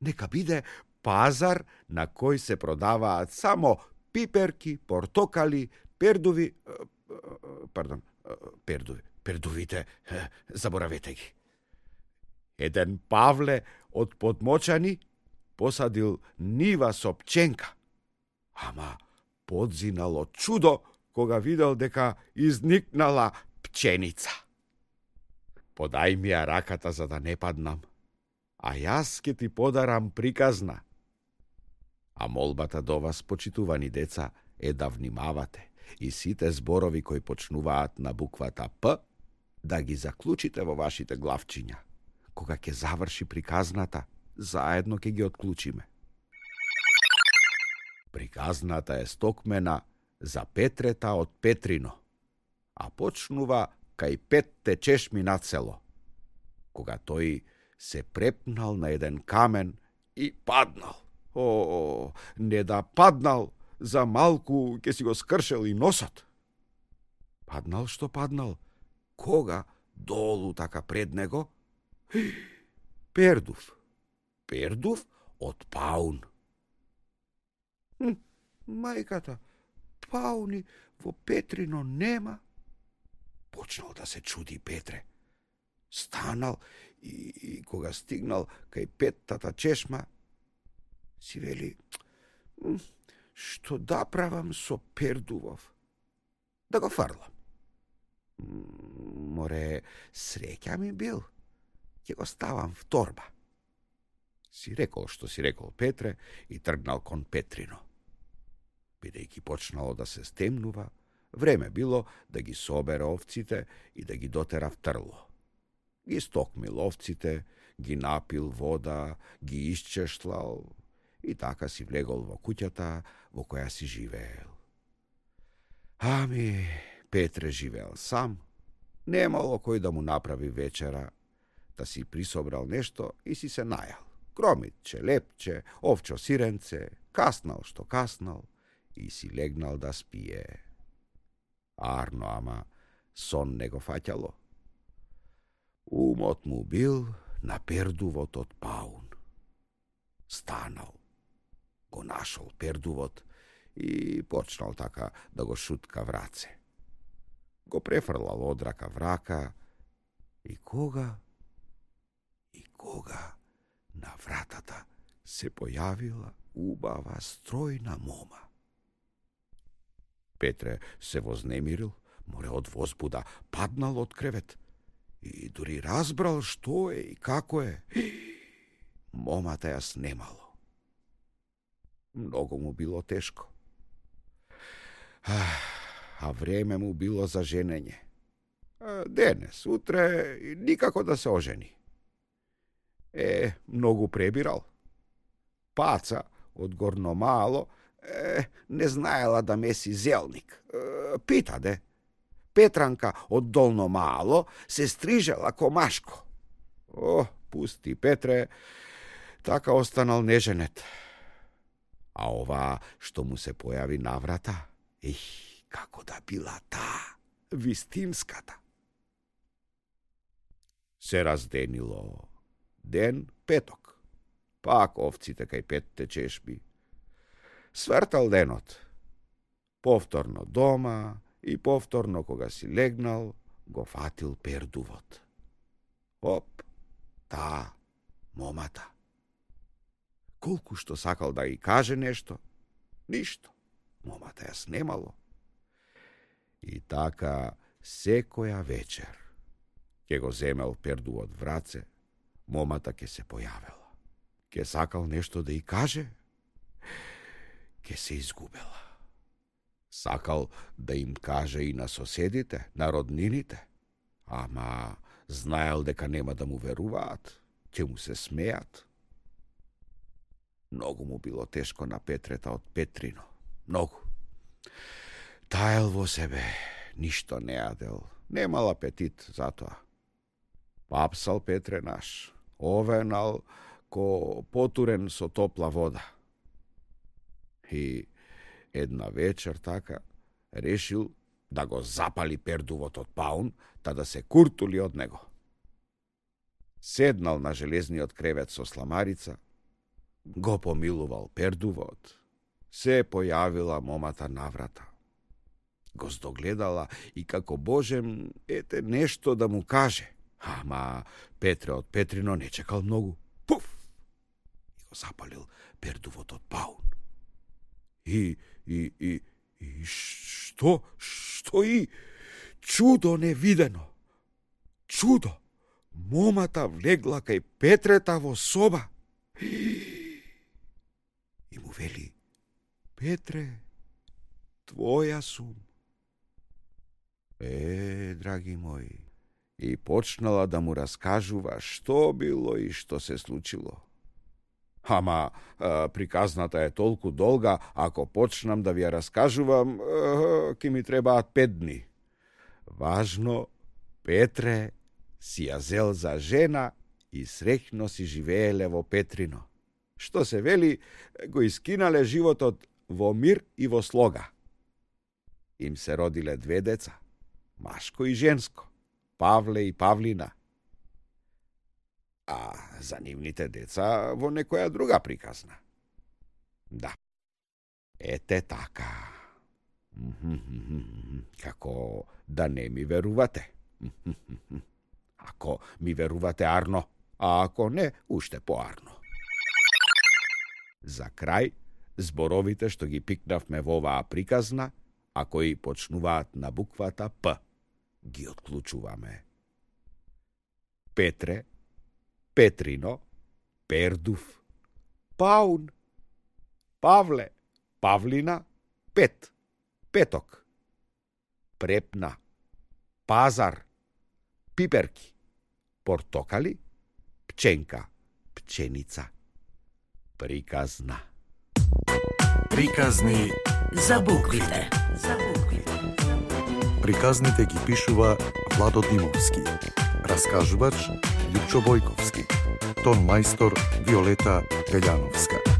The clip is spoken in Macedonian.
Нека биде пазар на кој се продаваат само пиперки, портокали, пердувите, заборавете ги. Еден Павле од Подмочани посадил нива со пченка, ама подзинал од чудо кога видел дека изникнала пченица. Подај ми ја раката за да не паднам, а јас ке ти подарам приказна. А молбата до вас, почитувани деца, е да внимавате и сите зборови кои почнуваат на буквата П, да ги заклучите во вашите главчиња. Кога ќе заврши приказната, заедно ќе ги отклучиме. Приказната е стокмена за Петрета од Петрино, а почнува кај 5 чешми над село, кога тој се препнал на еден камен и паднал. Не да паднал, за малку ќе си го скршел и носот. Паднал што паднал, кога долу така пред него Пердув од паун. Мајката, пауни во Петрино нема. Почнал да се чуди Петре. Станал и кога стигнал кај 5-тата чешма, си вели, што да правам со Пердувов? Да го фрлам. Море, среќа ми бил, ќе го ставам в торба. Си рекол што си рекол Петре и тргнал кон Петрино. Бидејќи почнало да се стемнува, време било да ги собере овците и да ги дотера в трло. Ги стокмил овците, ги напил вода, ги исчешлал и така си влегол во куќата во која си живеел. Ами, Петре живеел сам, немало кој да му направи вечера, да си присобрал нешто и си се најал. Кромитче, лепче, овчо сиренце, каснал што каснал и си легнал да спие. Арно, ама сон не го фаќало. Умот му бил на Пердувот од паун. Станал, го нашол Пердувот и почнал така да го шутка враце. Го префрлал од рака в рака и кога на вратата се појавила убава стројна мома. Петре се вознемирил, море од возбуда паднал од кревет и дури разбрал што е и како е. Момата ја снемало. Многу му било тешко. А време му било за женење. Денес, утре, никако да се ожени. Многу пребирал. Паца од Горно Мало не знаела да меси зелник. Пита де. Петранка од Долно Мало се стрижела комашко. Пусти Петре, така останал неженет. А ова што му се појави на врата, како да била таа, вистинската. Се разденило. Ден петок. Пак овците кај 5 чешми. Свртал денот. Повторно дома и повторно кога си легнал, го фатил Пердувот. Оп, таа, момата. Колку што сакал да ги каже нешто, ништо. Момата ја снемало. И така секоја вечер ке го земел Пердувот враце, момата ке се појавела. Ке сакал нешто да и каже, ке се изгубела. Сакал да им каже и на соседите, на роднините, ама знаел дека нема да му веруваат, ќе му се смеат. Многу му било тешко на Петрета од Петрино. Многу. Таел во себе, ништо не јадел, немал апетит затоа. Папсал Петре наш, овенал ко потурен со топла вода. И една вечер така решил да го запали Пердувот од паун, та да се куртули од него. седнал на железниот кревет со сламарица, го помилувал пердувот, се појавила момата наврата. Го здогледала и како божем, ете нешто да му каже. Ама Петре од Петрино не чекал многу. Пуф! И го запалил пердувот од паун. И што и? Чудо невидено. Чудо! Момата влегла кај Петрета во соба. И му вели: Петре, твоја сум. Драги мои, и почнала да му раскажува што било и што се случило. Ама приказната е толку долга, ако почнам да ви ја раскажувам, ке ми требаат 5 дни. Важно, Петре си ја зел за жена и среќно си живееле во Петрино. Што се вели, го искинале животот во мир и во слога. Им се родиле 2 деца, машко и женско, Павле и Павлина. А за нивните деца во некоја друга приказна. Да, ете така. Како да не ми верувате. Ако ми верувате арно, а ако не, уште поарно. За крај, зборовите што ги пикнавме во оваа приказна, а кои почнуваат на буквата П, ги отклучуваме. Петре, Петрино, Пердув, Паун, Павле, Павлина, Пет, Петок, Препна, Пазар, Пиперки, Портокали, Пченка, Пченица. Приказна. Приказни за буквите. Приказните ги пишува Владо Димовски. Раскажувач Лјупчо Бојковски. Тон мајстор Виолета Пељановска.